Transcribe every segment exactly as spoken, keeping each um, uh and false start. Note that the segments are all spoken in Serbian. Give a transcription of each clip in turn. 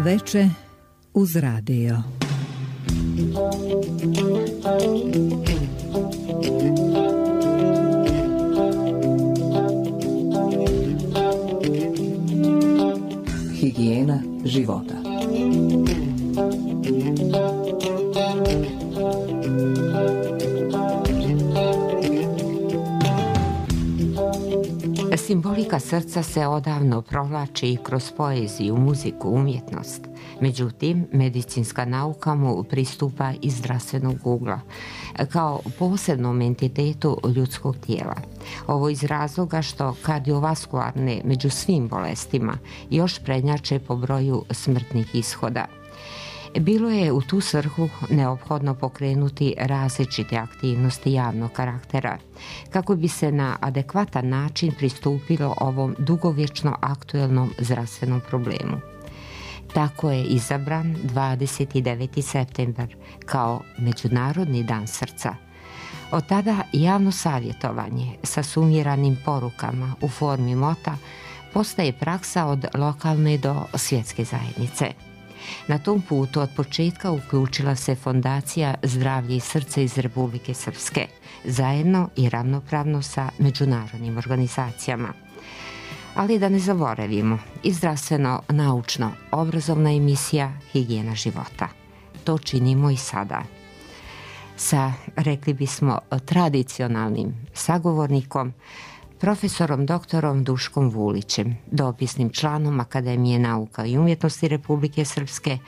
veče uz radio. Higijena života. Simbolika srca se odavno provlači i kroz poeziju, muziku, umjetnost. Međutim, medicinska nauka mu pristupa iz zdravstvenog ugla, kao posebnom entitetu ljudskog tijela. Ovo iz razloga što kardiovaskularne među svim bolestima još prednjače po broju smrtnih ishoda. Bilo je u tu svrhu neophodno pokrenuti različite aktivnosti javnog karaktera, kako bi se na adekvatan način pristupilo ovom dugovječno aktuelnom zdravstvenom problemu. Tako je izabran dvadeset deveti septembar kao Međunarodni dan srca. Od tada javno savjetovanje sa sumiranim porukama u formi mota postaje praksa od lokalne do svjetske zajednice. Na tom putu od početka uključila se Fondacija Zdravlje i srce iz Republike Srpske, zajedno i ravnopravno sa međunarodnim organizacijama. Ali da ne zaboravimo i zdravstveno-naučno obrazovna emisija Higijena života. To činimo i sada. Sa, rekli bismo, tradicionalnim sagovornikom, profesorom doktorom Duškom Vulićem, dopisnim članom Akademije nauka i umjetnosti Republike Srpske,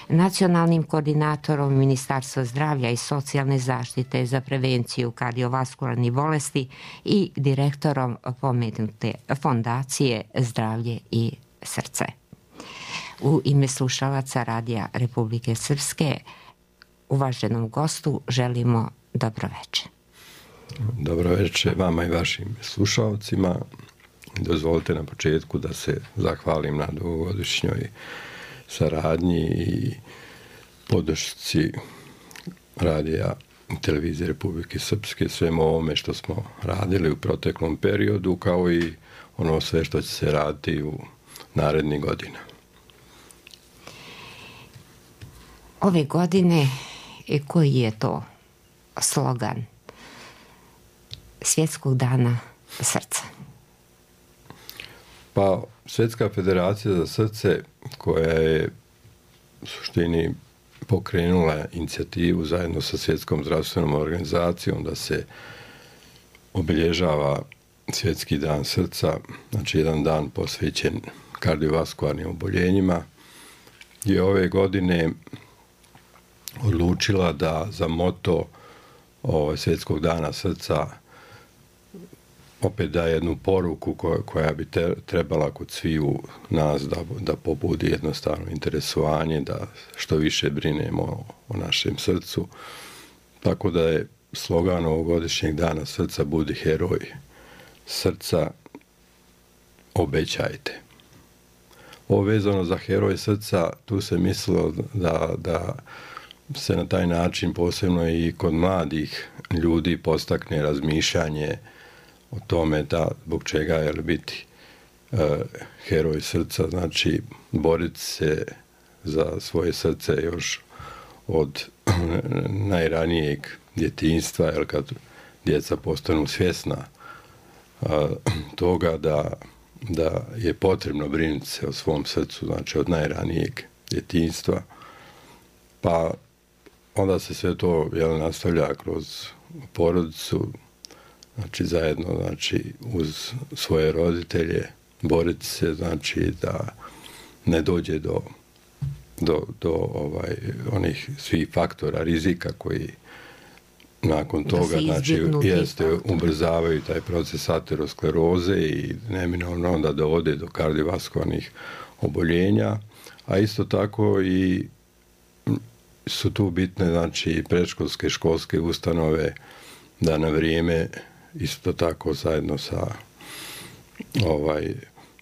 nacionalnim koordinatorom Ministarstva zdravlja i socijalne zaštite za prevenciju kardiovaskularnih bolesti i direktorom pomenute Fondacije Zdravlje i srce. U ime slušalaca Radija Republike Srpske, uvaženom gostu želimo dobroveče. Dobro večer vama i vašim slušalcima. Dozvolite na početku da se zahvalim na dugogodišnjoj saradnji i podršci Radija i Televizije Republike Srpske, svemu ovome što smo radili u proteklom periodu, kao i ono sve što će se raditi u narednih godina. Ove godine, koji je to slogan Svjetskog dana srca? Pa, Svjetska federacija za srce, koja je u suštini pokrenula inicijativu zajedno sa Svjetskom zdravstvenom organizacijom da se obilježava Svjetski dan srca, znači jedan dan posvećen kardiovaskularnim oboljenjima, je ove godine odlučila da za moto ovaj, Svjetskog dana srca opet da jednu poruku koja, koja bi te, trebala kod sviju nas da, da pobudi jednostavno interesovanje, da što više brinemo o, o našem srcu. Tako da je slogan ovogodišnjeg dana srca budi heroj srca, obećajte. Ovo vezano za heroj srca, tu se mislilo da, da se na taj način posebno i kod mladih ljudi postakne razmišljanje o tome da zbog čega je biti uh, heroj srca, znači boriti se za svoje srce još od najranijeg djetinjstva, jer kad djeca postanu svjesna uh, toga da, da je potrebno brinuti se o svom srcu, znači od najranijeg djetinjstva, pa onda se sve to jel, nastavlja kroz porodicu, znači zajedno, znači uz svoje roditelje boriti se, znači da ne dođe do, do, do ovaj, onih svih faktora rizika koji nakon toga, znači, jeste, ubrzavaju taj proces ateroskleroze i neminovno onda dovode do kardiovaskularnih oboljenja, a isto tako i su tu bitne, znači, predškolske, školske ustanove da na vrijeme isto tako zajedno sa ovaj,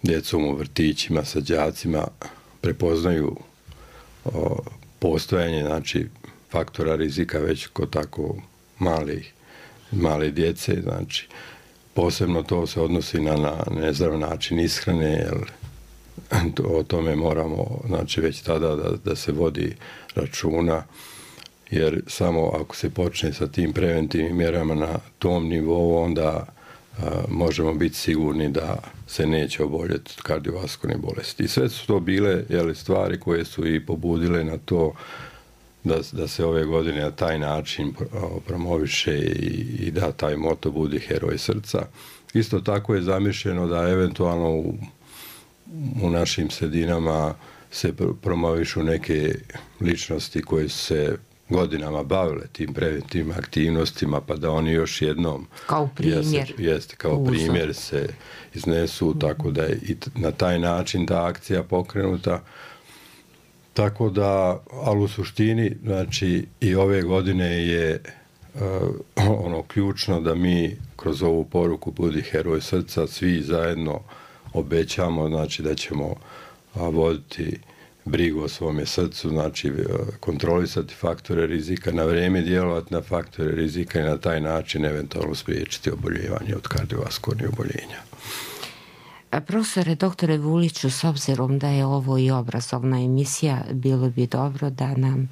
djecom u vrtićima, sa đacima prepoznaju o, postojanje, znači, faktora rizika već kod tako malih, male djece, znači, posebno to se odnosi na, na nezdrav način ishrane, jer o tome moramo, znači, već tada da, da se vodi računa, jer samo ako se počne sa tim preventivnim mjerama na tom nivou, onda a, možemo biti sigurni da se neće oboljeti od kardiovaskularne bolesti. I sve su to bile, jeli, stvari koje su i pobudile na to da, da se ove godine na taj način promoviše i, i da taj moto budi heroj srca. Isto tako je zamišljeno da eventualno u, u našim sredinama se promovišu neke ličnosti koje su se godinama bavile tim preventivnim aktivnostima, pa da oni još jednom kao primjer, jeste, jeste, kao uzor. primjer se iznesu, mm. tako da je i na taj način ta akcija pokrenuta. Tako da, ali u suštini, znači, i ove godine je uh, ono ključno da mi kroz ovu poruku Budi heroj srca svi zajedno obećamo, znači, da ćemo uh, voditi brigu o svome srcu, znači uh, kontrolisati faktore rizika, na vrijeme djelovati na faktore rizika i na taj način eventualno spriječiti oboljevanje od kardiovaskularnih oboljenja. Profesore, doktore Vuliću, s obzirom da je ovo i obrazovna emisija, bilo bi dobro da nam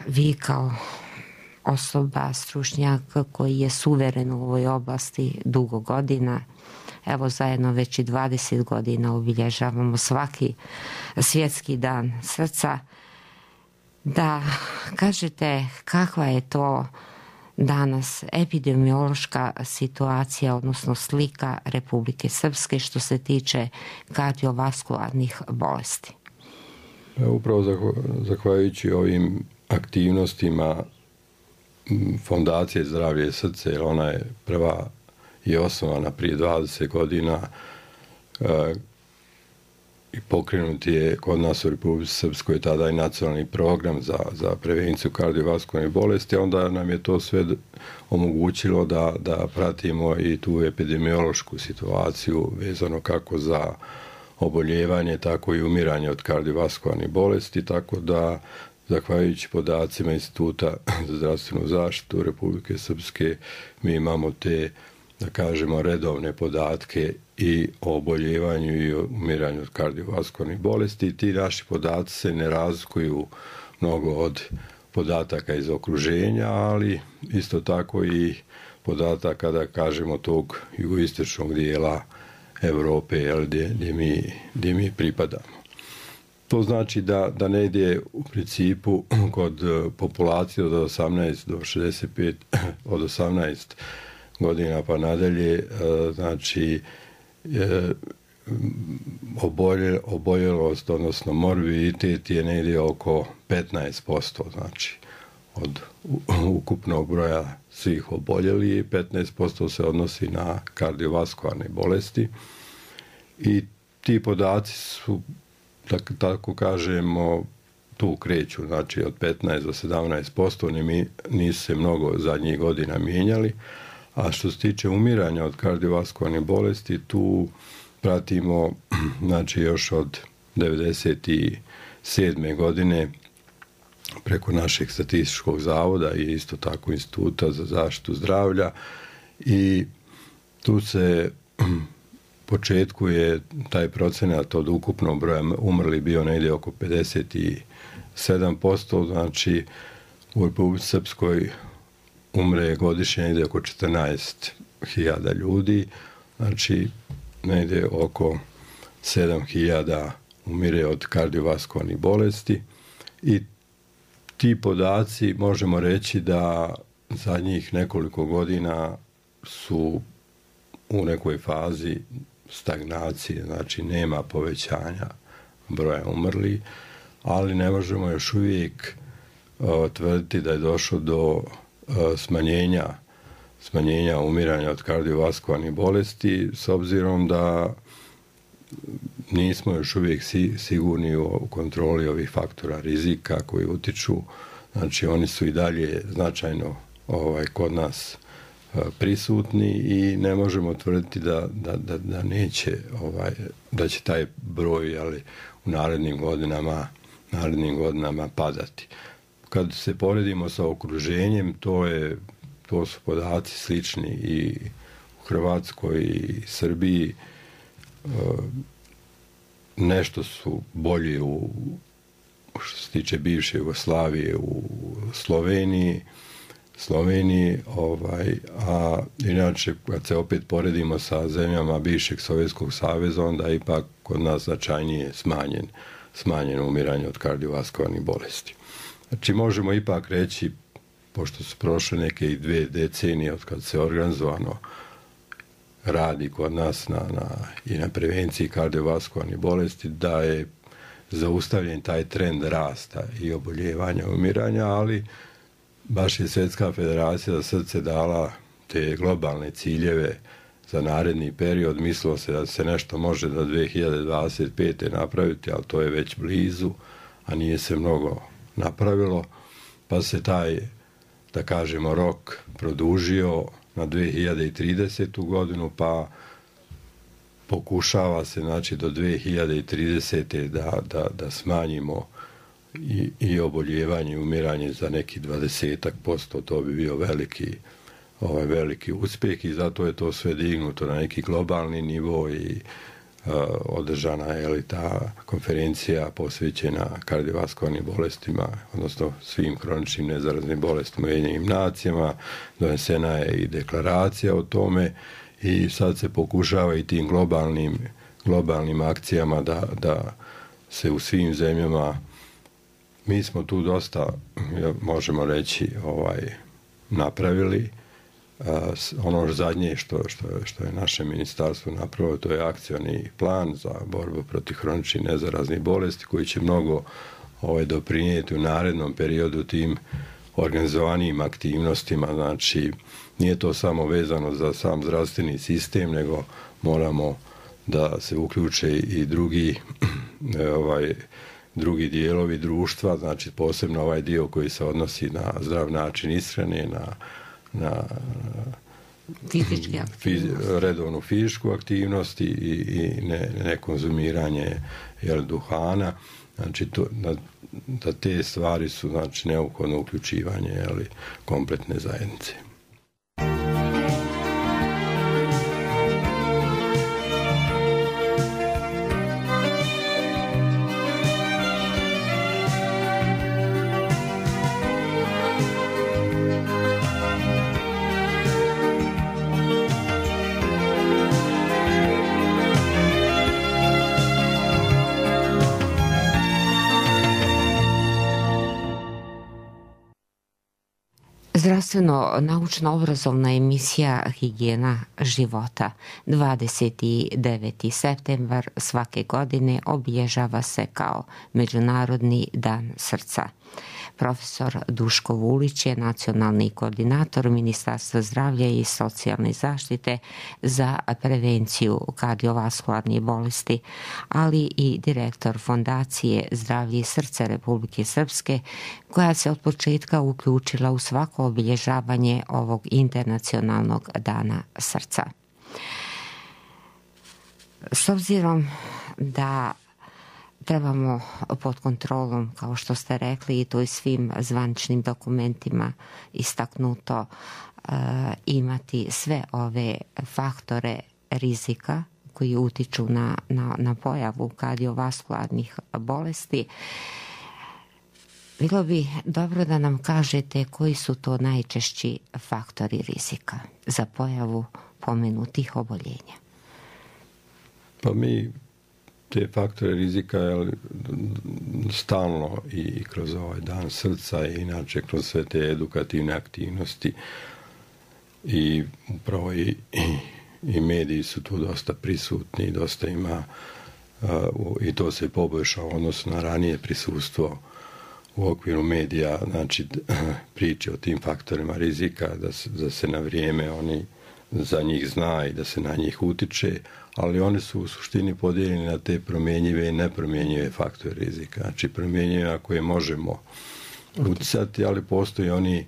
vi kao osoba, stručnjak koji je suveren u ovoj oblasti dugo godina, evo zajedno već i dvadeset godina obilježavamo svaki svjetski dan srca, da kažete kakva je to danas epidemiološka situacija, odnosno slika Republike Srpske što se tiče kardiovaskularnih bolesti. Upravo zahvaljujući ovim aktivnostima Fondacije Zdravlje i srce, jer ona je prva i osnovana prije dvadeset godina i pokrenut je kod nas u Republici Srpskoj tada i nacionalni program za, za prevenciju kardiovaskularnih bolesti, onda nam je to sve omogućilo da, da pratimo i tu epidemiološku situaciju vezano kako za oboljevanje, tako i umiranje od kardiovaskularnih bolesti, tako da zahvaljujući podacima Instituta za zdravstvenu zaštitu Republike Srpske mi imamo te, da kažemo, redovne podatke i o oboljevanju i o umiranju od kardiovaskularnih bolesti. Ti naši podaci se ne razlikuju mnogo od podataka iz okruženja, ali isto tako i podataka, da kažemo, tog jugoistočnog dijela Europe, gdje, gdje, mi, gdje mi pripadamo. To znači da, da ne ide u principu kod populacije od osamnaest do šezdeset pet, od osamnaest godina pa nadalje, znači obolje, oboljelost, odnosno morbiditet je negdje oko petnaest posto, znači od ukupnog broja svih oboljelih, petnaest posto se odnosi na kardiovaskularne bolesti i ti podaci su, tako, tako kažemo, tu kreću, znači od petnaest do sedamnaest posto, nisu se mnogo zadnjih godina mijenjali. A što se tiče umiranja od kardiovaskularnih bolesti, tu pratimo, znači, još od devedeset sedme godine preko našeg statističkog zavoda i isto tako Instituta za zaštitu zdravlja, i tu se početku je taj procenat od ukupnog broja umrli bio negdje oko pedeset sedam posto, znači u Republici Srpskoj umre godišnje negdje oko četrnaest hiljada ljudi, znači negdje oko sedam hiljada umire od kardiovaskularnih bolesti, i ti podaci možemo reći da zadnjih nekoliko godina su u nekoj fazi stagnacije, znači nema povećanja broja umrlih, ali ne možemo još uvijek uh, tvrditi da je došlo do uh, smanjenja smanjenja umiranja od kardiovaskularnih bolesti, s obzirom da nismo još uvijek si, sigurni u kontroli ovih faktora rizika koji utiču, znači oni su i dalje značajno ovaj, kod nas uh, prisutni i ne možemo tvrditi da, da, da, da neće, ovaj, da će taj broj, ali u narednim godinama, narednim godinama padati. Kad se poredimo sa okruženjem, to je to su podaci slični i u Hrvatskoj i Srbiji. nešto su bolje u, što se tiče bivše Jugoslavije, u Sloveniji, Sloveniji, ovaj, a inače kad se opet poredimo sa zemljama bivšeg Sovjetskog saveza, onda je ipak kod nas značajnije smanjen, smanjeno umiranje od kardiovaskularnih bolesti. Znači možemo ipak reći, pošto su prošle neke i dve decenije od kad se organizovano radi kod nas na, na, i na prevenciji kardiovaskularnih bolesti, da je zaustavljen taj trend rasta i oboljevanja i umiranja, ali baš je Svjetska federacija za srce dala te globalne ciljeve za naredni period. Mislilo se da se nešto može do dve hiljade dvadeset pete napraviti, ali to je već blizu, a nije se mnogo napravilo, pa se taj, da kažemo, rok produžio na dve hiljade tridesetu godinu, pa pokušava se, znači, do dve hiljade tridesete da, da, da smanjimo i, i oboljevanje i umiranje za neki dvadesetak posto, to bi bio veliki, ovaj, veliki uspjeh i zato je to sve dignuto na neki globalni nivo i uh, održana je li ta konferencija posvećena kardiovaskularnim bolestima, odnosno svim hroničnim nezaraznim bolestima u Ujedinjenim nacijama, donesena je i deklaracija o tome i sad se pokušava i tim globalnim, globalnim akcijama da, da se u svim zemljama, mi smo tu dosta, možemo reći, ovaj, napravili. Ono zadnje što, što, što je naše ministarstvo napravilo, to je akcioni plan za borbu protiv hroničnih nezaraznih bolesti koji će mnogo ovaj, doprinijeti u narednom periodu tim organizovanijim aktivnostima. Znači, nije to samo vezano za sam zdravstveni sistem, nego moramo da se uključe i drugi ovaj, drugi dijelovi društva, znači posebno ovaj dio koji se odnosi na zdrav način ishrane, na na fizički fizi, redovnu fizičku aktivnost i, i ne, ne konzumiranje jel, duhana. Znači to, da, da te stvari su, znači, neophodno uključivanje jel, kompletne zajednice. Zdravstveno-naučno-obrazovna emisija Higijena života. dvadeset deveti septembar svake godine obilježava se kao Međunarodni dan srca. Profesor Duško Vulić je nacionalni koordinator Ministarstva zdravlja i socijalne zaštite za prevenciju kardiovaskularnih bolesti, ali i direktor Fondacije Zdravlje i srce Republike Srpske, koja se od početka uključila u svako obilježavanje ovog internacionalnog dana srca. S obzirom da trebamo pod kontrolom, kao što ste rekli, i to i svim zvaničnim dokumentima istaknuto, imati sve ove faktore rizika koji utiču na, na, na pojavu kardiovaskularnih bolesti. Bilo bi dobro da nam kažete koji su to najčešći faktori rizika za pojavu pomenutih oboljenja. Pa mi te faktore rizika jel, stalno i kroz ovaj dan srca i inače kroz sve te edukativne aktivnosti i upravo i, i, i mediji su tu dosta prisutni, dosta ima uh, i to se poboljšao odnosno na ranije prisustvo u okviru medija, znači priče o tim faktorima rizika, da se, da se na vrijeme oni za njih zna i da se na njih utiče, ali oni su u suštini podijeljeni na te promjenjive i nepromjenjive faktore rizika. Znači promjenjive na koje možemo uticati, ali postoji oni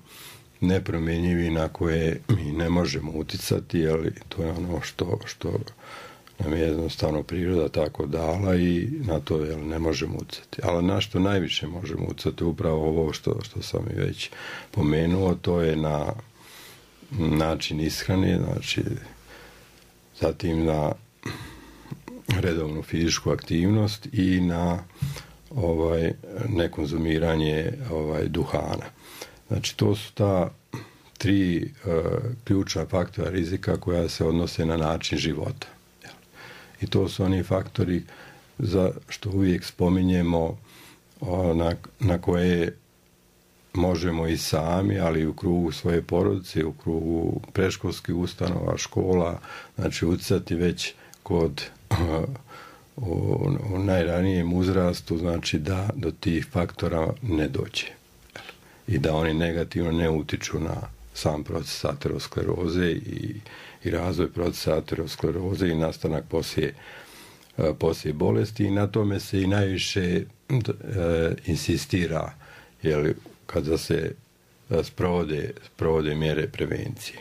nepromjenjivi na koje mi ne možemo uticati, ali to je ono što, što nam je jednostavno priroda tako dala i na to jel, ne možemo uticati. Ali na što najviše možemo uticati, upravo ovo što, što sam i već pomenuo, to je na način ishrane, znači zatim na redovnu fizičku aktivnost i na ovaj, nekonzumiranje ovaj, duhana. Znači, to su ta tri uh, ključna faktora rizika koja se odnose na način života. I to su oni faktori za što uvijek spominjemo, uh, na, na koje možemo i sami, ali i u krugu svoje porodice, u krugu predškolskih ustanova, škola, znači utjecati već kod uh, u, u najranijem uzrastu, znači da do tih faktora ne dođe i da oni negativno ne utiču na sam proces ateroskleroze i, i razvoj procesa ateroskleroze i nastanak poslije, uh, poslije bolesti, i na tome se i najviše uh, insistira, jel, kada se sprovode, sprovode mjere prevencije.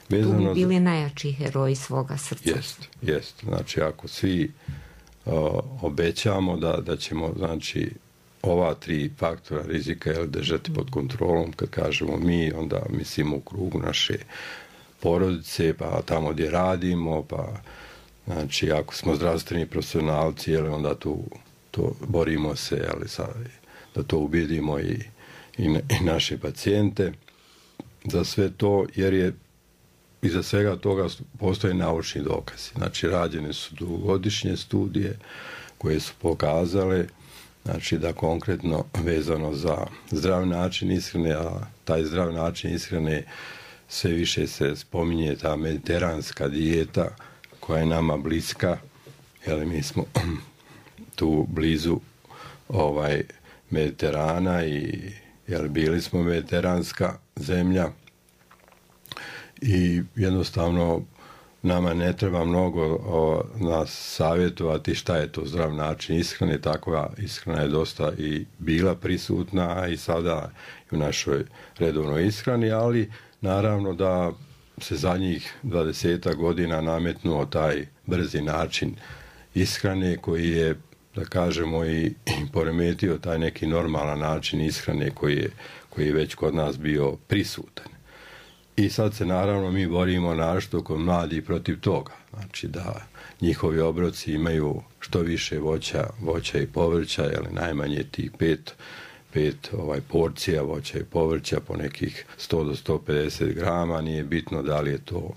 Vezano tu bi bili za... najjači heroji svoga srca. Jest, jest. Znači, ako svi uh, obećamo da, da ćemo, znači, ova tri faktora rizika, jel, držati pod kontrolom, kad kažemo mi, onda mislimo u krugu naše porodice, pa tamo gdje radimo, pa, znači, ako smo zdravstveni profesionalci, jel, onda tu to borimo se, jel, sa, da to ubedimo i i naše pacijente za sve to, jer je iza svega toga postoje naučni dokazi. Znači, rađene su dugogodišnje studije koje su pokazale, znači, da konkretno vezano za zdrav način ishrane, a taj zdrav način ishrane sve više se spominje ta mediteranska dijeta koja je nama bliska, jer mi smo tu blizu ovaj Mediterana i jer bili smo mediteranska zemlja i jednostavno nama ne treba mnogo o, nas savjetovati šta je to zdrav način ishrane. Takva ishrana je dosta i bila prisutna i sada u našoj redovnoj ishrani, ali naravno da se zadnjih dvadesetak godina nametnuo taj brzi način ishrane koji je, da kažemo, i, i poremetio taj neki normalan način ishrane koji je, koji je već kod nas bio prisutan. I sad se naravno mi borimo našto kod mladih protiv toga. Znači da njihovi obroci imaju što više voća, voća i povrća, ili najmanje tih pet, pet ovaj, porcija voća i povrća po nekih sto do sto pedeset grama. Nije bitno da li je to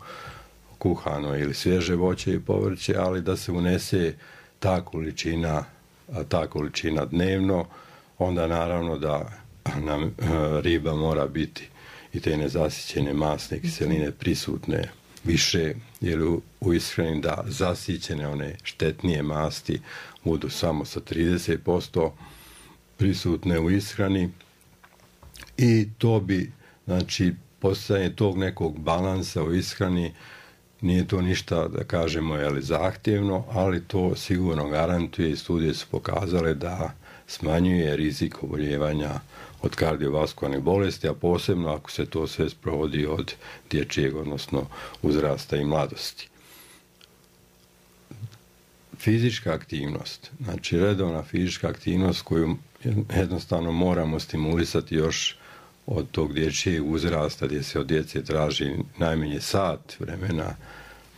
kuhano ili svježe voće i povrće, ali da se unese ta količina, ta količina dnevno, onda naravno da nam riba mora biti i te nezasićene masne kiseline prisutne više, jer u, u ishrani da zasićene one štetnije masti budu samo sa trideset posto prisutne u ishrani, i to bi, znači, postojanje tog nekog balansa u ishrani, nije to ništa, da kažemo, jeli, zahtjevno, ali to sigurno garantuje i studije su pokazale da smanjuje rizik oboljevanja od kardiovaskularnih bolesti, a posebno ako se to sve sprovodi od dječjeg, odnosno uzrasta i mladosti. Fizička aktivnost, znači redovna fizička aktivnost koju jednostavno moramo stimulisati još od tog dječjeg uzrasta, gdje se od djece traži najmanje sat vremena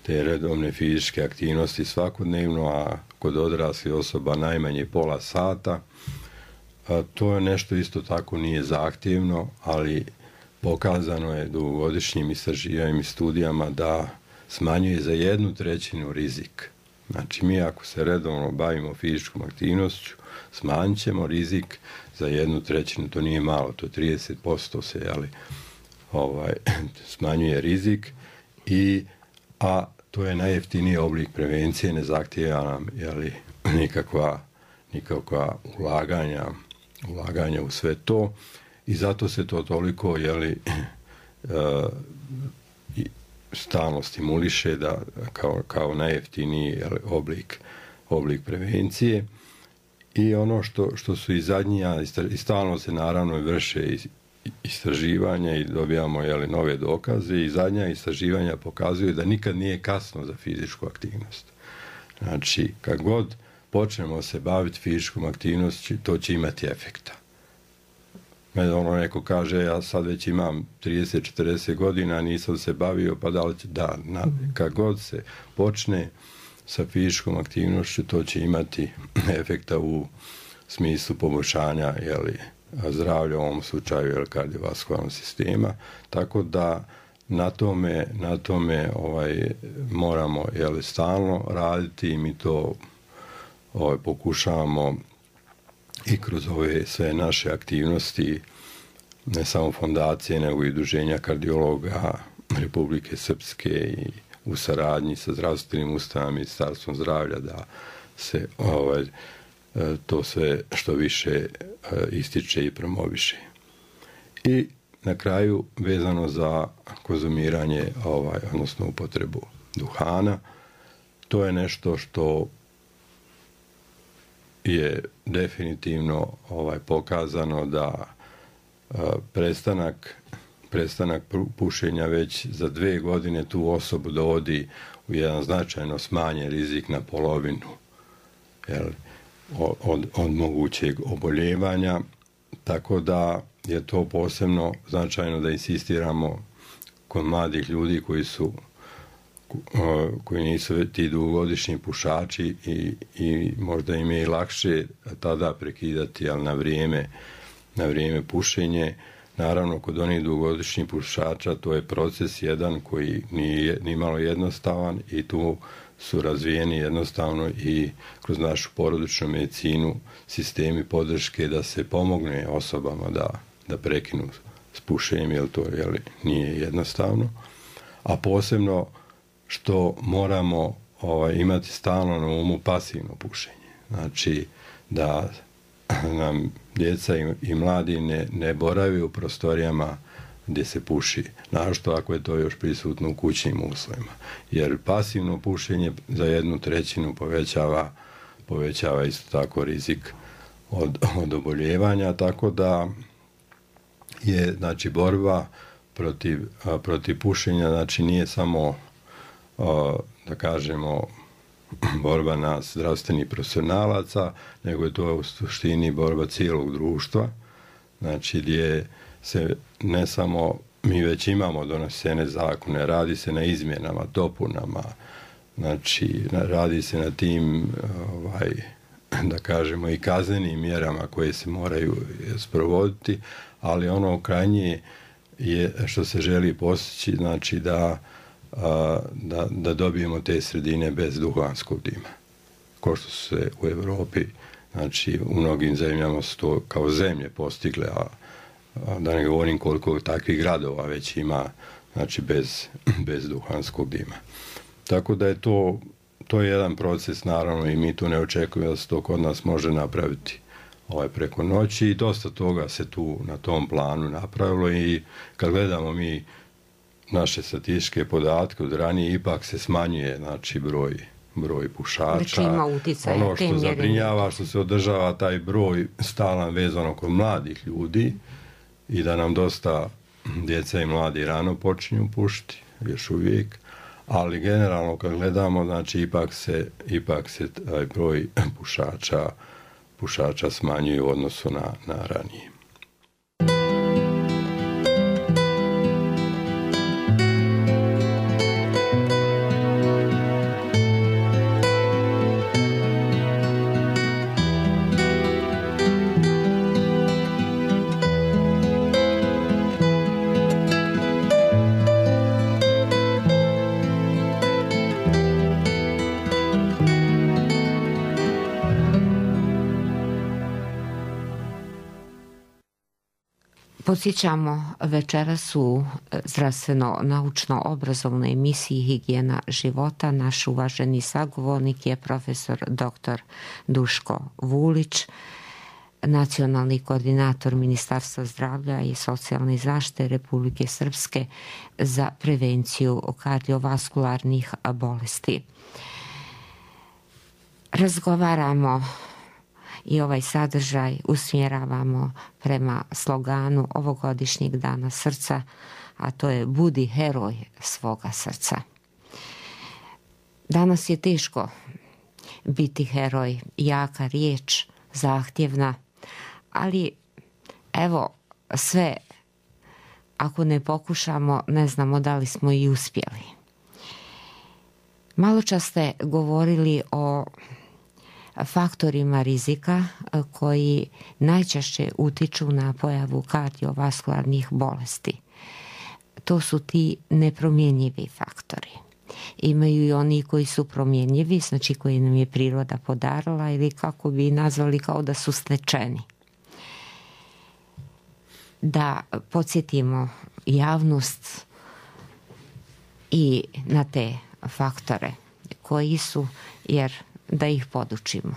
te redovne fizičke aktivnosti svakodnevno, a kod odraslih osoba najmanje pola sata. A to je nešto isto tako nije zahtjevno, ali pokazano je dugogodišnjim istraživanjima i studijama da smanjuje za jednu trećinu rizik. Znači, mi ako se redovno bavimo fizičkom aktivnošću, smanjit ćemo rizik za jednu trećinu, to nije malo, to trideset posto se, jeli, ovaj, smanjuje rizik, i, a to je najjeftiniji oblik prevencije, ne zahtijeva nam, jeli, nikakva, nikakva ulaganja, ulaganja u sve to, i zato se to toliko, jeli, uh, stalno stimuliše da kao, kao najjeftiniji, jeli, oblik, oblik prevencije. I ono što, što su i zadnja, i stalno se naravno vrše istraživanja i dobijamo, jeli, nove dokaze, i zadnja istraživanja pokazuju da nikad nije kasno za fizičku aktivnost. Znači, kad god počnemo se baviti fizičkom aktivnosti, to će imati efekta. Mene ono neko kaže, ja sad već imam trideset četrdeset godina, nisam se bavio, pa da li će, da, na, kad god se počne sa fizičkom aktivnošću, to će imati efekta u smislu poboljšanja jeli, zdravlja, u ovom slučaju jeli, kardiovaskularnog sistema, tako da na tome, na tome ovaj, moramo jeli, stalno raditi i mi to ovaj, pokušavamo i kroz ove sve naše aktivnosti, ne samo fondacije, nego i udruženja kardiologa Republike Srpske i u saradnji sa zdravstvenim ustanovama, Ministarstvom zdravlja, da se ovaj, to sve što više ističe i promoviše. I na kraju, vezano za konzumiranje, ovaj, odnosno upotrebu duhana, to je nešto što je definitivno ovaj, pokazano da a, prestanak, prestanak pušenja već za dve godine tu osobu dovodi u jedan značajno smanjen rizik na polovinu jel, od, od mogućeg oboljevanja, tako da je to posebno značajno da insistiramo kod mladih ljudi koji su koji nisu ti dugogodišnji pušači i, i možda im je i lakše tada prekidati, ali na vrijeme, na vrijeme pušenje. Naravno, kod onih dugogodišnjih pušača to je proces jedan koji nije ni malo jednostavan i tu su razvijeni jednostavno i kroz našu porodičnu medicinu sistemi podrške da se pomogne osobama da, da prekinu s pušenjem, jer to jeli, nije jednostavno. A posebno što moramo ovaj, imati stalno na umu pasivno pušenje. Znači da nam djeca i, i mladi ne, ne boravi u prostorijama gdje se puši, našto ako je to još prisutno u kućnim uslovima. Jer pasivno pušenje za jednu trećinu povećava, povećava isto tako rizik od, od oboljevanja, tako da je znači borba protiv, a, protiv pušenja, znači nije samo a, da kažemo borba nas zdravstvenih profesionalaca, nego je to u suštini borba cijelog društva, znači gdje se ne samo mi već imamo donesene zakone, radi se na izmjenama, dopunama, znači radi se na tim ovaj, da kažemo i kaznenim mjerama koje se moraju sprovoditi, ali ono krajnje je što se želi postići, znači da, a, da, da dobijemo te sredine bez duhanskog dima. Ko što su se u Evropi, znači u mnogim zemljama su to kao zemlje postigle, a, a da ne govorim koliko takvih gradova već ima, znači bez, bez duhanskog dima. Tako da je to, to je jedan proces, naravno, i mi tu ne očekujemo da se to kod nas može napraviti ovaj, preko noći i dosta toga se tu na tom planu napravilo i kad gledamo mi naše statističke podatke od ranije, ipak se smanjuje, znači, broj, broj pušača. Ono što zabrinjava, što se održava taj broj stalan vezano kod mladih ljudi i da nam dosta djeca i mladi rano počinju pušiti, još uvijek, ali generalno kad gledamo, znači, ipak se, ipak se taj broj pušača, pušača smanjuje u odnosu na, na ranije. Podsjećamo večeras u zdravstveno-naučno-obrazovnoj emisiji Higijena života. Naš uvaženi sagovornik je profesor doktor Duško Vulić, nacionalni koordinator Ministarstva zdravlja i socijalne zaštite Republike Srpske za prevenciju kardiovaskularnih bolesti. Razgovaramo i ovaj sadržaj usmjeravamo prema sloganu ovogodišnjeg dana srca, a to je budi heroj svoga srca. Danas je teško biti heroj, jaka riječ, zahtjevna, ali evo sve, ako ne pokušamo, ne znamo da li smo i uspjeli. Malo čas ste govorili o faktorima rizika koji najčešće utiču na pojavu kardiovaskularnih bolesti. To su ti nepromjenjivi faktori. Imaju i oni koji su promjenjivi, znači koji nam je priroda podarila ili kako bi nazvali kao da su stečeni. Da podsjetimo javnost i na te faktore koji su, jer da ih podučimo.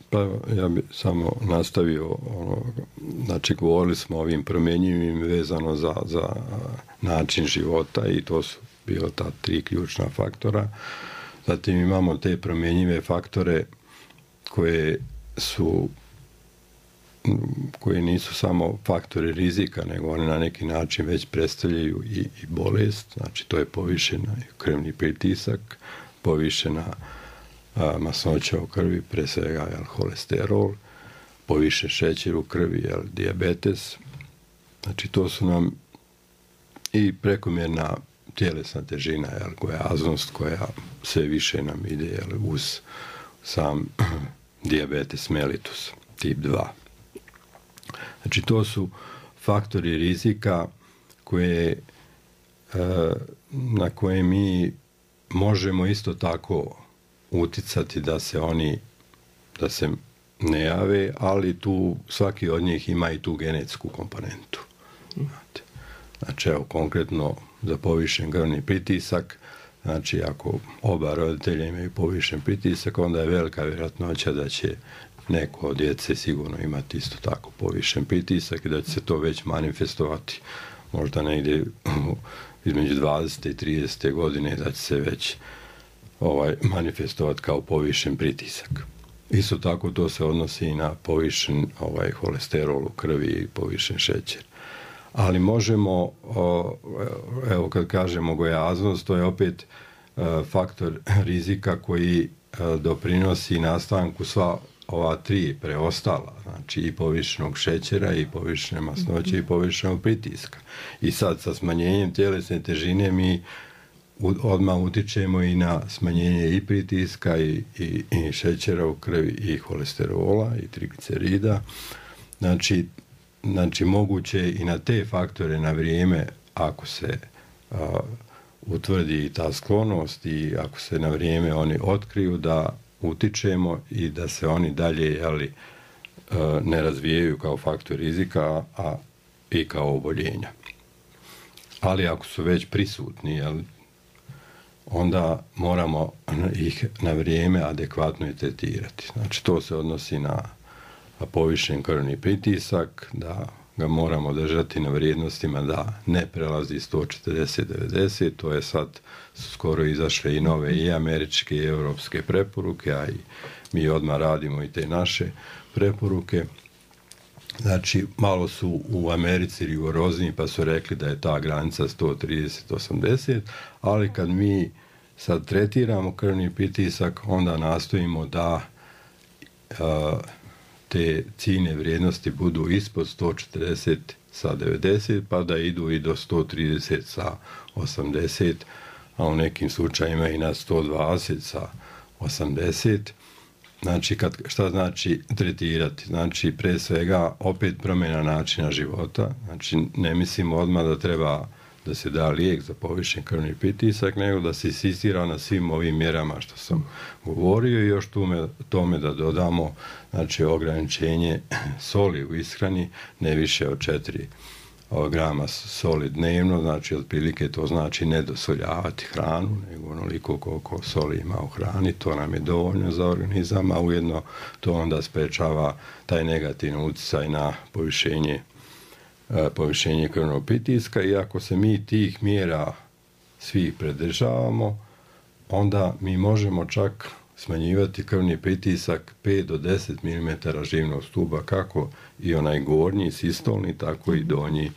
Pa ja bih samo nastavio, ono, znači govorili smo o ovim promjenjivim vezano za, za način života i to su bila ta tri ključna faktora. Zatim imamo te promjenjive faktore koje su koji nisu samo faktori rizika, nego oni na neki način već predstavljaju i, i bolest, znači to je povišena krvni pritisak, povišena a, masnoća u krvi, pre svega jel, holesterol, povišen šećer u krvi, jel, dijabetes, znači to su nam i prekomjerna tjelesna težina, jel, gojaznost koja sve više nam ide jel, uz sam dijabetes mellitus tip dva. Znači to su faktori rizika koje, na koje mi možemo isto tako uticati da se oni da se ne jave, ali tu svaki od njih ima i tu genetsku komponentu. Znači evo konkretno za povišen krvni pritisak, znači ako oba roditelja imaju povišen pritisak, onda je velika vjerojatnoća da će neko od djece sigurno imati isto tako povišen pritisak i da će se to već manifestovati možda negdje između dvadesete i tridesete godine, da će se već ovaj, manifestovati kao povišen pritisak. Isto tako to se odnosi i na povišen ovaj, holesterol u krvi i povišen šećer. Ali možemo, evo kad kažemo gojaznost, to je opet faktor rizika koji doprinosi nastanku sva ova tri preostala, znači i povišenog šećera, i povišene masnoće, i povišenog pritiska. I sad sa smanjenjem tjelesne težine mi odmah utičemo i na smanjenje i pritiska, i, i, i šećera u krvi, i holesterola, i triglicerida. Znači, znači moguće i na te faktore na vrijeme, ako se a, utvrdi ta sklonost i ako se na vrijeme oni otkriju, da utičemo i da se oni dalje jeli, ne razvijaju kao faktor rizika, a i kao oboljenja. Ali ako su već prisutni, jeli, onda moramo ih na vrijeme adekvatno i tretirati. Znači to se odnosi na povišen krvni pritisak, da ga moramo držati na vrijednostima da ne prelazi sto četrdeset devedeset, to je sad skoro izašle i nove i američke i europske preporuke, a i mi odmah radimo i te naše preporuke. Znači, malo su u Americi rigorozniji pa su rekli da je ta granica sto trideset osamdeset, ali kad mi sad tretiramo krvni pritisak, onda nastojimo da a, te ciljne vrijednosti budu ispod sto četrdeset sa devedeset, pa da idu i do sto trideset sa osamdeset, a u nekim slučajima i na sto dvadeset sa osamdeset. Znači, kad, šta znači tretirati? Znači, pre svega, opet promjena načina života. Znači, ne mislimo odmah da treba da se da lijek za povišen krvni pritisak, nego da se insistira na svim ovim mjerama što sam govorio i još tome, tome da dodamo, znači, ograničenje soli u ishrani, ne više od četiri grama soli dnevno, znači otprilike to znači ne dosoljavati hranu, nego onoliko koliko soli ima u hrani, to nam je dovoljno za organizam, a ujedno to onda sprečava taj negativni utjecaj na povišenje, povišenje krvnog pritiska. I ako se mi tih mjera svih pridržavamo, onda mi možemo čak smanjivati krvni pritisak pet do deset milimetara živnog stuba, kako i onaj gornji sistolni, tako i donji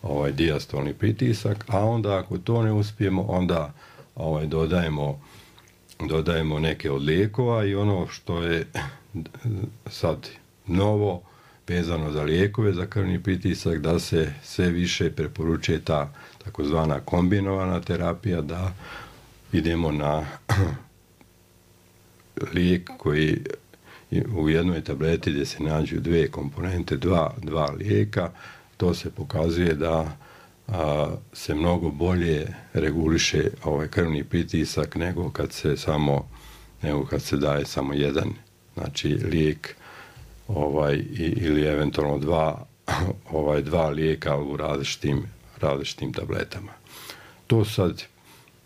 ovaj dijastolni pritisak, a onda ako to ne uspijemo, onda ovaj dodajemo dodajemo neke od lijekova. I ono što je sad novo vezano za lijekove za krvni pritisak, da se sve više preporučuje ta takozvana kombinovana terapija, da idemo na lijek koji u jednoj tableti gdje se nađu dvije komponente, dva, dva lijeka, to se pokazuje da a, se mnogo bolje reguliše ovaj krvni pritisak nego kad se samo nego kad se daje samo jedan, znači lijek ovaj ili eventualno dva ovaj dva lijeka u različitim različitim tabletama. To sad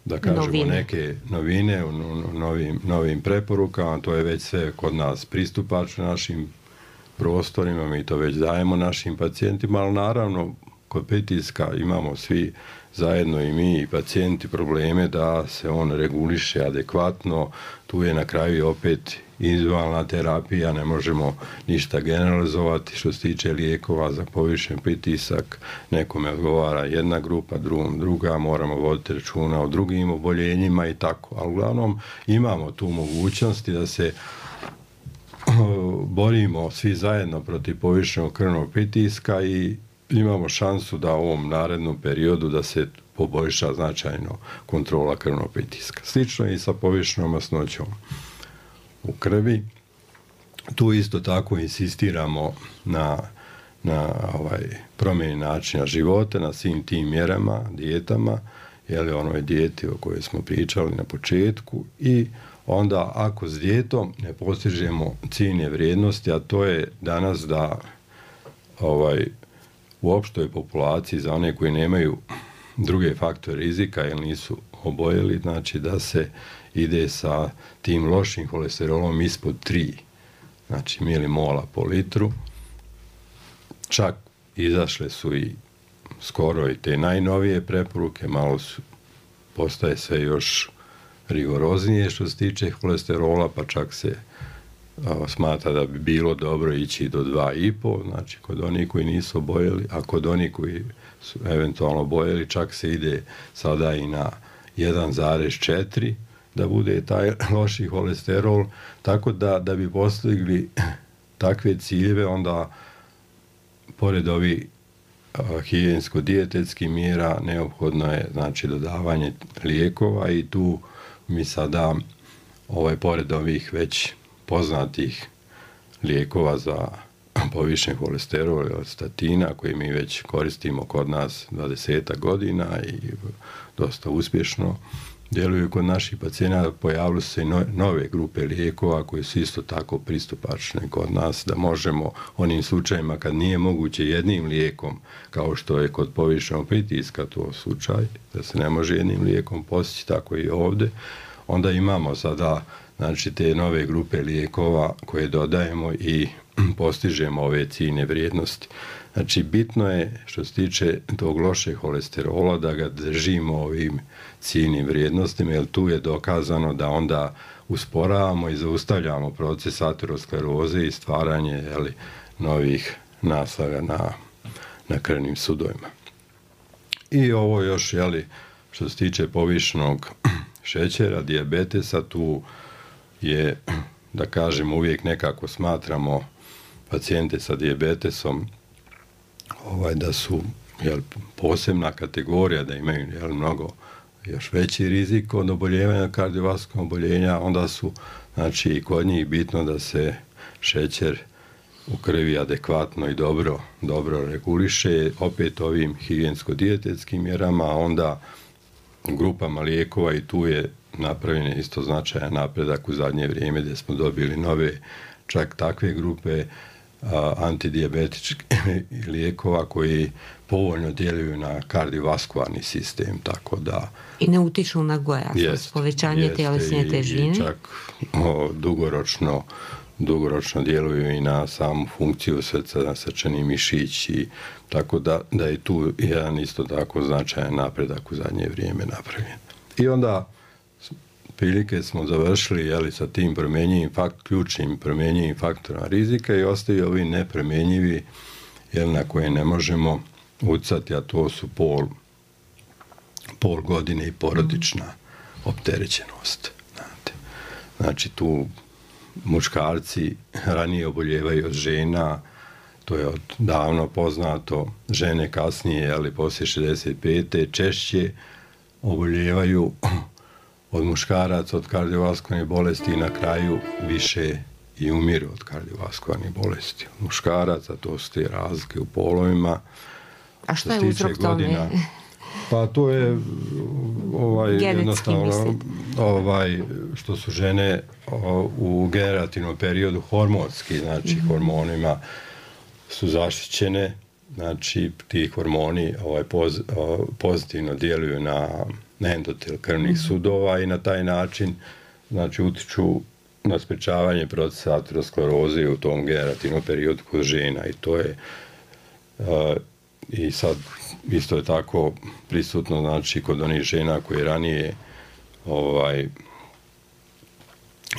da kažemo novine. Neke novine u novim, novim preporukama, to je već sve kod nas pristupačno našim prostorima, mi to već dajemo našim pacijentima, ali naravno kod pritiska imamo svi zajedno i mi i pacijenti probleme da se on reguliše adekvatno, tu je na kraju opet individualna terapija, ne možemo ništa generalizovati što se tiče lijekova za povišen pritisak, nekome odgovara jedna grupa, drugom druga, moramo voditi računa o drugim oboljenjima i tako, ali uglavnom imamo tu mogućnosti da se borimo svi zajedno protiv povišenog krvnog pritiska i imamo šansu da u ovom narednom periodu da se poboljša značajno kontrola krvnog pritiska. Slično je i sa povišenom masnoćom u krvi. Tu isto tako insistiramo na, na ovaj, promjeni načina života, na svim tim mjerama, dijetama, jeli onoj dijeti o kojoj smo pričali na početku i onda ako s dijetom ne postižemo ciljne vrijednosti, a to je danas da ovaj, u opštoj populaciji za one koji nemaju druge faktore rizika ili nisu oboljeli, znači da se ide sa tim lošim holesterolom ispod tri, znači milimola po litru. Čak izašle su i skoro i te najnovije preporuke, malo su, postaje sve još rigoroznije što se tiče holesterola, pa čak se a, smatra da bi bilo dobro ići do dva i pol, znači kod onih koji nisu oboljeli, a kod onih koji su eventualno oboljeli čak se ide sada i na jedan zarez četiri da bude taj loši holesterol, tako da, da bi postigli takve ciljeve, onda pored ovih higijensko-dijetetskih mjera neophodno je znači dodavanje lijekova i tu mi sada ovaj, pored ovih već poznatih lijekova za povišen holesterol od statina koji mi već koristimo kod nas dvadeset godina i dosta uspješno djeluju kod naših pacijenata, pojavile su se i nove grupe lijekova koji su isto tako pristupačne kod nas, da možemo onim slučajima kad nije moguće jednim lijekom, kao što je kod povišenog pritiska to slučaj, da se ne može jednim lijekom postići, tako i ovdje, onda imamo sada znači te nove grupe lijekova koje dodajemo i postižemo ove ciljne vrijednosti. Znači, bitno je, što se tiče tog lošeg holesterola, da ga držimo ovim ciljnim vrijednostima, jer tu je dokazano da onda usporavamo i zaustavljamo proces ateroskleroze i stvaranje jeli, novih naslaga na, na krvnim sudovima. I ovo još, jeli, što se tiče povišenog šećera, dijabetesa, tu je, da kažem, uvijek nekako smatramo pacijente sa dijabetesom ovaj, da su jel, posebna kategorija, da imaju jel, mnogo još veći rizik od oboljevanja kardiovaskularnog oboljenja, onda su znači, i kod njih bitno da se šećer u krvi adekvatno i dobro, dobro reguliše, opet ovim higijensko-dijetetskim mjerama, a onda grupama lijekova i tu je napravljen isto značajan napredak u zadnje vrijeme gdje smo dobili nove čak takve grupe a, antidijabetičkih lijekova koji povoljno djeluju na kardiovaskularni sistem, tako da... I ne utiču na gojaznost, povećanje tjelesne težine. I čak o, dugoročno, dugoročno djeluju i na samu funkciju srca, na srčani mišić, i tako da, da je tu jedan isto tako značajan napredak u zadnje vrijeme napravljen. I onda prilike smo završili jeli, sa tim promjenjivim fakt, ključnim promjenjivim faktorima rizika i ostaju ovi nepromjenjivi jel, na koje ne možemo utjecati, a to su pol, pol godine i porodična opterećenost. Znate. Znači tu muškarci ranije oboljevaju od žena, to je od davno poznato, žene kasnije, ali poslije šezdeset pete češće oboljevaju od muškaraca od kardiovaskularnih bolesti i na kraju više i umiru od kardiovaskularnih bolesti. Od muškaraca, to su te razlike u polovima. A što je uzrok tome? Pa to je ovaj, jednostavno ovaj, što su žene o, u generativnom periodu hormonski, znači mm-hmm. hormonima su zaštićene, znači ti hormoni ovaj, poz, o, pozitivno djeluju na, na endotel krvnih mm-hmm. sudova i na taj način znači utiču na sprečavanje procesa ateroskleroze u tom generativnom periodu kod žena i to je uh, i sad isto je tako prisutno znači kod onih žena koje ranije ovaj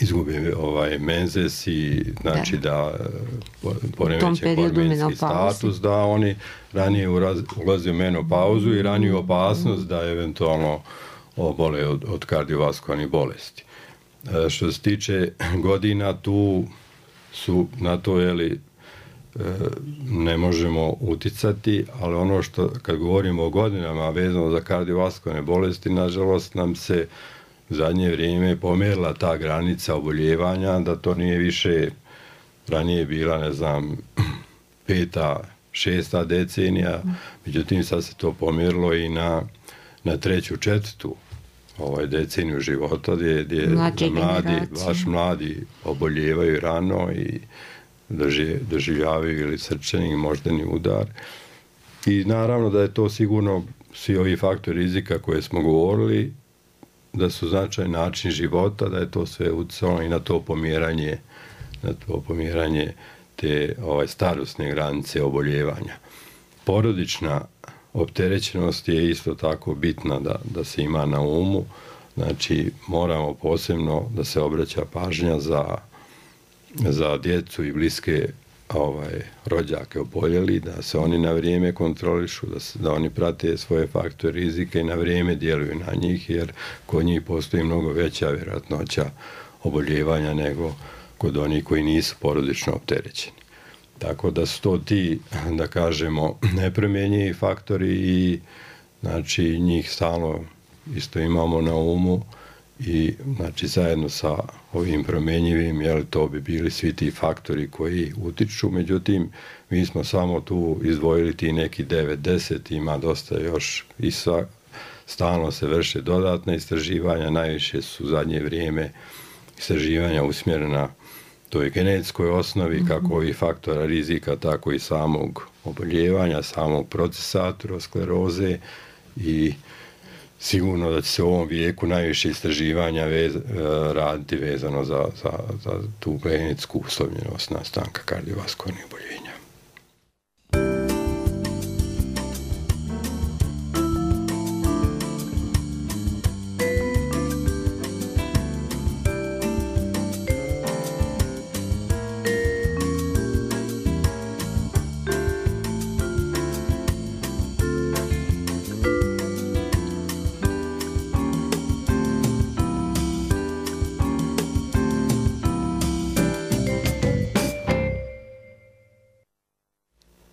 izgube ovaj menzes i znači da, da poremeće hormonski status, da oni ranije ulaze u menopauzu i raniju opasnost da eventualno obole od, od kardiovaskularnih bolesti. E, što se tiče godina, tu su na to jeli, e, ne možemo uticati, ali ono što kad govorimo o godinama vezano za kardiovaskularne bolesti, nažalost nam se u zadnje vrijeme pomjerila ta granica oboljevanja, da to nije više ranije bila, ne znam, peta, šesta decenija, međutim sad se to pomjerilo i na, na treću, četvrtu ovaj deceniju života gdje, gdje mladi, baš mladi oboljevaju rano i drži, doživljavaju ili srčani i moždani udar. I naravno da je to sigurno svi ovi faktori rizika koje smo govorili, da su značajni način života, da je to sve utjecalo i na to pomjeranje, na to pomjeranje te ovaj, starosne granice oboljevanja. Porodična opterećenost je isto tako bitna da, da se ima na umu, znači moramo posebno da se obraća pažnja za, za djecu i bliske ovaj, rođake oboljeli, da se oni na vrijeme kontrolišu, da, se, da oni prate svoje faktore rizika i na vrijeme djeluju na njih, jer kod njih postoji mnogo veća vjerojatnoća oboljevanja nego kod onih koji nisu porodično opterećeni. Tako da su to ti, da kažemo, nepromjenjivi faktori i znači njih stalno isto imamo na umu i znači zajedno sa ovim promjenjivim, jel, to bi bili svi ti faktori koji utiču, međutim mi smo samo tu izdvojili ti neki devet deset, ima dosta još i sva, stalno se vrše dodatna istraživanja, najviše su u zadnje vrijeme istraživanja usmjerena toj genetskoj osnovi, mm-hmm. kako i faktora rizika, tako i samog oboljevanja, samog procesa ateroskleroze i sigurno da će se u ovom vijeku najviše istraživanja vez, raditi vezano za, za, za tu genetsku uslovljenost nastanka kardiovaskularnih oboljenja.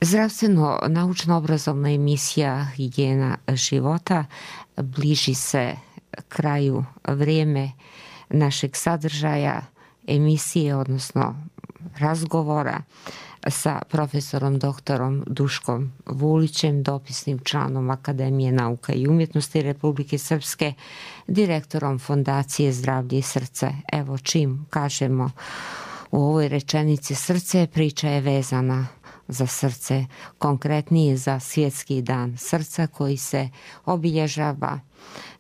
Zdravstveno naučno-obrazovna emisija Higijena života bliži se kraju, vrijeme našeg sadržaja emisije, odnosno razgovora sa profesorom doktorom Duškom Vulićem, dopisnim članom Akademije nauka i umjetnosti Republike Srpske, direktorom Fondacije Zdravlje i srce. Evo, čim kažemo u ovoj rečenici srce, priča je vezana za srce, konkretnije za Svjetski dan srca koji se obilježava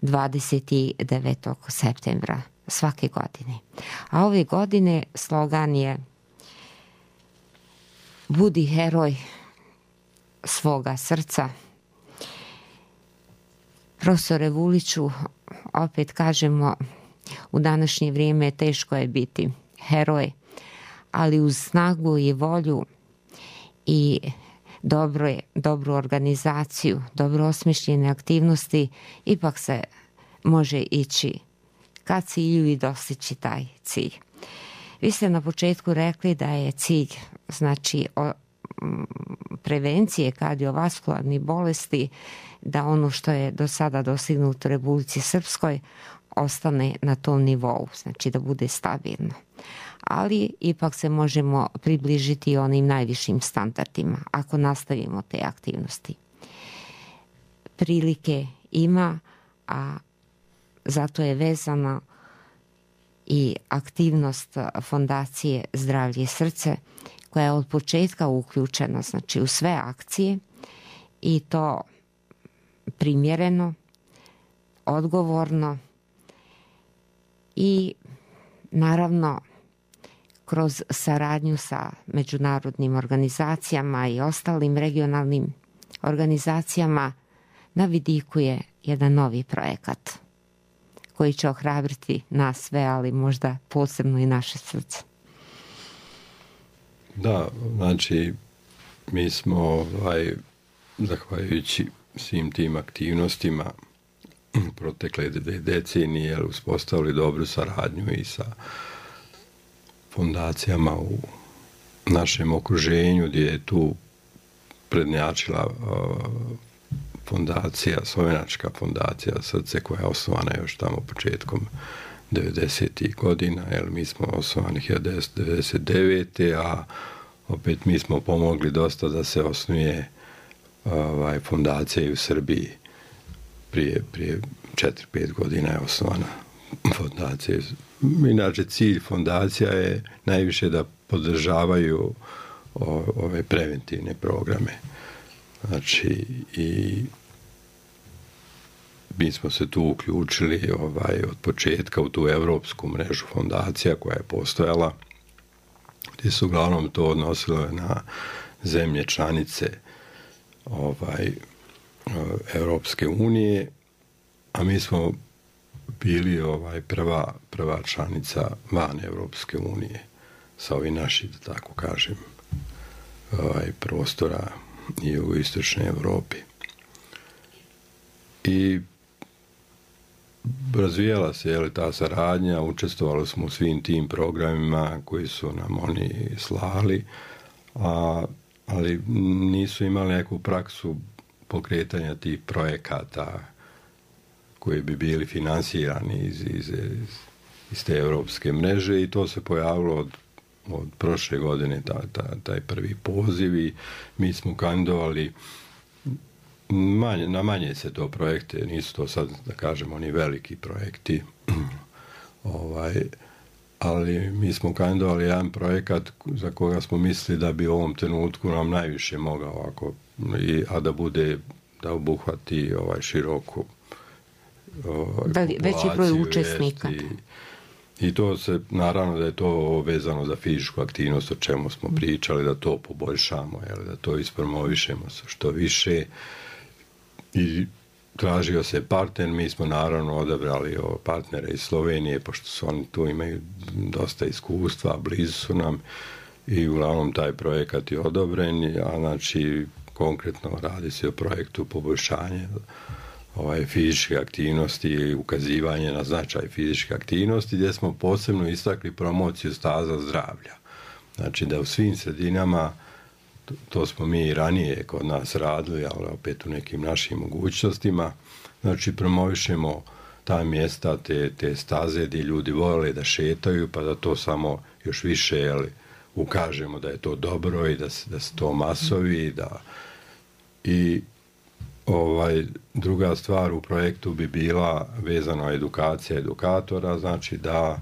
dvadeset devetog septembra svake godine. A ove godine slogan je Budi heroj svoga srca. Profesore Vuliću, opet kažemo, u današnje vrijeme teško je biti heroj, ali uz snagu i volju i dobro je, dobru organizaciju, dobro osmišljene aktivnosti, ipak se može ići ka cilju i dostići taj cilj. Vi ste na početku rekli da je cilj, znači, prevencije kardiovaskularnih bolesti, da ono što je do sada dostignuto u Republici Srpskoj ostane na tom nivou, znači da bude stabilno. Ali ipak se možemo približiti onim najvišim standardima ako nastavimo te aktivnosti. Prilike ima, a zato je vezana i aktivnost Fondacije Zdravlje i srce, koja je od početka uključena, znači, u sve akcije, i to primjereno, odgovorno i naravno kroz saradnju sa međunarodnim organizacijama i ostalim regionalnim organizacijama na vidiku je jedan novi projekat koji će ohrabriti nas sve, ali možda posebno i naše srce. Da, znači mi smo ovaj, zahvaljujući svim tim aktivnostima protekle dve decenije uspostavili dobru saradnju i sa fondacijama u našem okruženju, gdje je tu prednjačila uh, fondacija, Slovenačka fondacija Srce, koja je osnovana još tamo početkom devedesetih godina, jer mi smo osnovani hiljadu devetsto devedeset devete. a opet mi smo pomogli dosta da se osnuje ovaj, fondacija i u Srbiji. Prije, prije četiri pet godina je osnovana fondacija. Inače, cilj fondacija je najviše da podržavaju o, ove preventivne programe. Znači, i mi smo se tu uključili ovaj, od početka u tu evropsku mrežu fondacija koja je postojala, gdje su uglavnom to odnosilo na zemlje članice ovaj, Evropske unije, a mi smo bili ovaj, prva, prva članica van Evropske unije sa ovim našim, da tako kažem, ovaj, prostora i u istočnoj Evropi. I razvijala se, jel, ta saradnja, učestvovali smo u svim tim programima koji su nam oni slali, a, ali nisu imali neku praksu pokretanja tih projekata koji bi bili finansirani iz, iz, iz te evropske mreže, i to se pojavilo od, od prošle godine, ta, ta, taj prvi poziv, i mi smo kandidovali manje, na manje se to projekte, nisu to sad, da kažem, oni veliki projekti, ovaj, ali mi smo kandidovali jedan projekat za koga smo mislili da bi u ovom trenutku nam najviše mogao, ako, i, a da bude, da obuhvati ovaj široku ovaj, veći broj učesnika. I, I to se, naravno da je to vezano za fizičku aktivnost, o čemu smo pričali, da to poboljšamo, jel, da to ispromovišemo što više. I tražio se partner, mi smo naravno odabrali partnere iz Slovenije, pošto su oni tu imaju dosta iskustva, blizu su nam, i uglavnom taj projekat je odobren, a znači konkretno radi se o projektu poboljšanja ovaj, fizičke aktivnosti i ukazivanje na značaj fizičke aktivnosti, gdje smo posebno istakli promociju staza zdravlja. Znači da u svim sredinama, to, to smo mi i ranije kod nas radili, ali opet u nekim našim mogućnostima, znači promovišemo ta mjesta, te, te staze gdje ljudi vole da šetaju, pa da to samo još više, jeli, ukažemo da je to dobro i da se, da se to masovi, da i ovaj, druga stvar u projektu bi bila vezana edukacija edukatora, znači da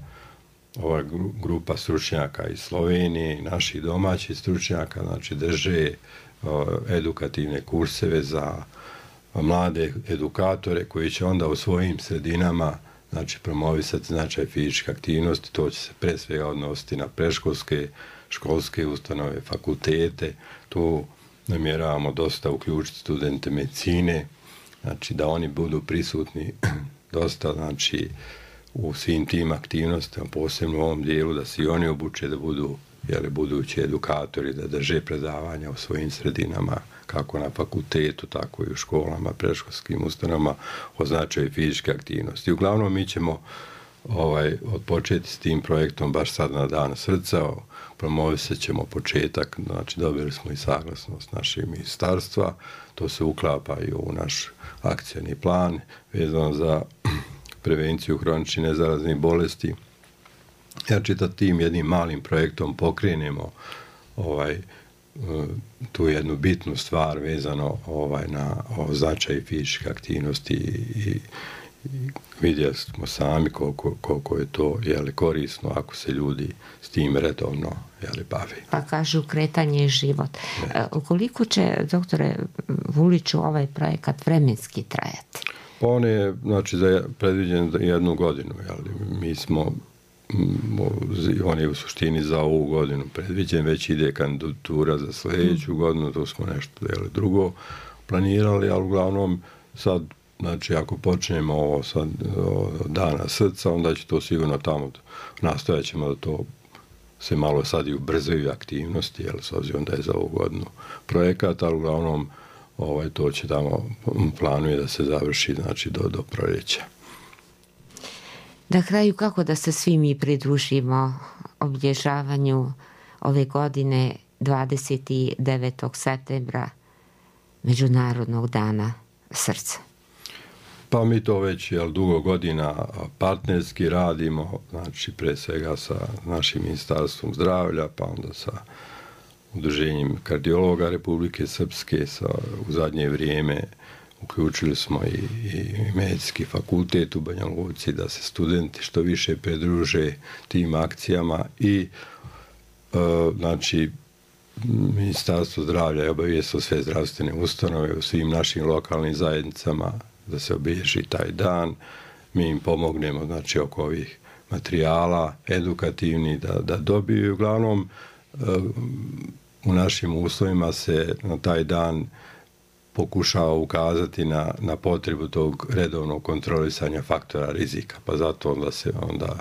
ova grupa stručnjaka iz Slovenije i naših domaćih stručnjaka, znači drže o, edukativne kurseve za mlade edukatore koji će onda u svojim sredinama, znači, promovisati značaj fizičke aktivnosti. To će se pre svega odnositi na predškolske, školske ustanove, fakultete. Tu namjeravamo dosta uključiti studente medicine, znači da oni budu prisutni dosta, znači, u svim tim aktivnostima, posebno u ovom dijelu, da se i oni obuče da budu, jeli, budući edukatori, da drže predavanja u svojim sredinama, kako na fakultetu, tako i u školama, predškolskim ustanovama, o značaju fizičke aktivnosti. Uglavnom, mi ćemo ovaj, odpočeti s tim projektom baš sad na Dan srca. Promovisat ćemo početak, znači dobili smo i saglasnost našeg ministarstva, to se uklapa i u naš akcijni plan vezano za prevenciju hroničnih nezaraznih bolesti. Ja čitav tim jednim malim projektom pokrenemo ovaj, tu jednu bitnu stvar vezano ovaj, na o značaj fizičke aktivnosti i, i vidjeli smo sami koliko, koliko je to jeli, korisno ako se ljudi s tim redovno jeli, bave. Pa kažu kretanje je život. E, koliko će, doktore Vuliću, ovaj projekat vremenski trajati? Pa on je znači, za predviđen jednu godinu. Jeli. Mi smo, on je u suštini za ovu godinu predviđen, već ide kandidatura za sljedeću godinu, to smo nešto jeli, drugo planirali, ali uglavnom sad, znači ako počnemo ovo sad od Dana srca, onda će to sigurno tamo, nastojat ćemo da to se malo sad i ubrzaju aktivnosti, jer s obzirom da je za ovu godinu projekat, ali uglavnom ovaj, to će tamo planuje da se završi znači, do, do proljeća. Na kraju, kako da se svi mi pridružimo obilježavanju ove godine dvadeset devetog septembra Međunarodnog dana srca? Pa mi to već jel, dugo godina partnerski radimo, znači pre svega sa našim ministarstvom zdravlja, pa onda sa udruženjem kardiologa Republike Srpske, sa, u zadnje vrijeme uključili smo i, i medicinski fakultet u Banja Luci da se studenti što više pridruže tim akcijama i e, znači Ministarstvo zdravlja je obavijestilo sve zdravstvene ustanove u svim našim lokalnim zajednicama da se obilježi taj dan. Mi im pomognemo znači oko ovih materijala edukativni da, da dobiju. Uglavnom e, u našim uslovima se na taj dan pokušava ukazati na, na potrebu tog redovnog kontrolisanja faktora rizika, pa zato onda se onda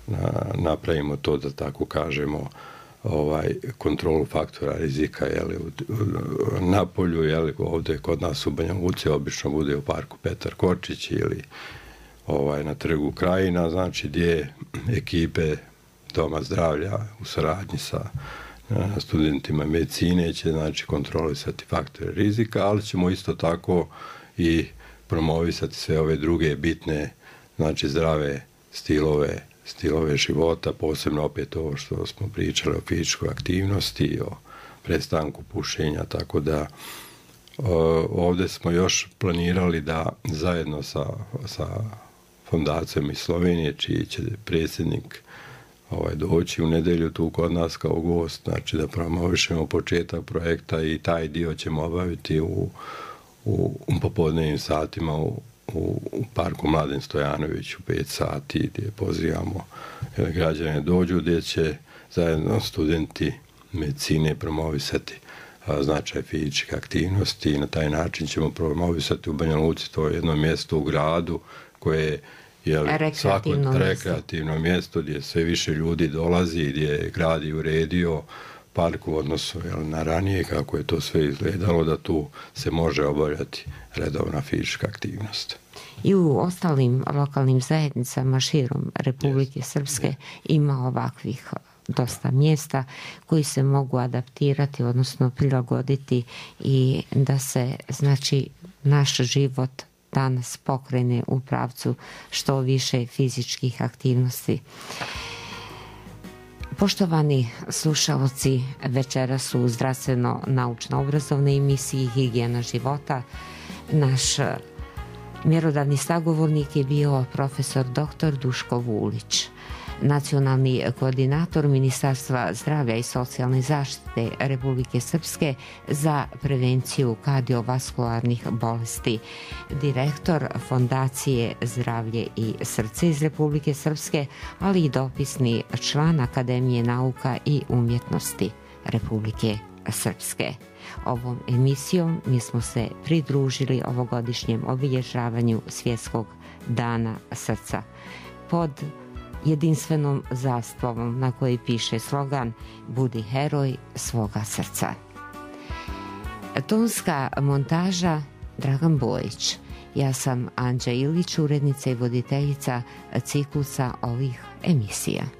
na, napravimo to da tako kažemo ovaj kontrolu faktora rizika jeli, u, u, na polju, jeli, ovdje kod nas u Banja Luci obično bude u parku Petar Kočić ili ovaj, na trgu Krajina, znači gdje ekipe Doma zdravlja u saradnji sa studentima medicine će znači kontrolisati faktore rizika, ali ćemo isto tako i promovisati sve ove druge bitne znači zdrave stilove, stilove života, posebno opet ovo što smo pričali o fizičkoj aktivnosti, o prestanku pušenja, tako da ovdje smo još planirali da zajedno sa, sa fondacijom iz Slovenije, čiji će predsjednik ovaj, doći u nedelju tu kod nas kao gost, znači da promovišemo početak projekta i taj dio ćemo obaviti u, u, u popodnevnim satima u, u, u parku Mladen Stojanović u pet sati gdje pozivamo građane dođu, gdje će zajedno studenti medicine promovisati a, značaj fizičke aktivnosti i na taj način ćemo promovisati u Banja Luci, to je jedno mjesto u gradu koje je jeli, svako rekreativno mjesto gdje sve više ljudi dolazi, gdje je grad i uredio park u odnosu jeli, na ranije kako je to sve izgledalo, da tu se može obavljati redovna fizička aktivnost. I u ostalim lokalnim zajednicama širom Republike yes. Srpske yes. ima ovakvih dosta mjesta koji se mogu adaptirati, odnosno prilagoditi i da se znači naš život danas pokrene u pravcu što više fizičkih aktivnosti. Poštovani slušalci, večera su u zdravstveno-naučno-obrazovnoj emisiji Higijena života. Naš mjerodavni sagovornik je bio profesor doktor Duško Vulić, nacionalni koordinator Ministarstva zdravlja i socijalne zaštite Republike Srpske za prevenciju kardiovaskularnih bolesti, direktor Fondacije zdravlje i srce iz Republike Srpske, ali i dopisni član Akademije nauka i umjetnosti Republike Srpske. Ovom emisijom mi smo se pridružili ovogodišnjem obilježavanju Svjetskog dana srca pod jedinstvenom zastavom na kojoj piše slogan Budi heroj svoga srca. Tonska montaža Dragan Bojić, Ja sam Anđa Ilić, urednica i voditeljica ciklusa ovih emisija.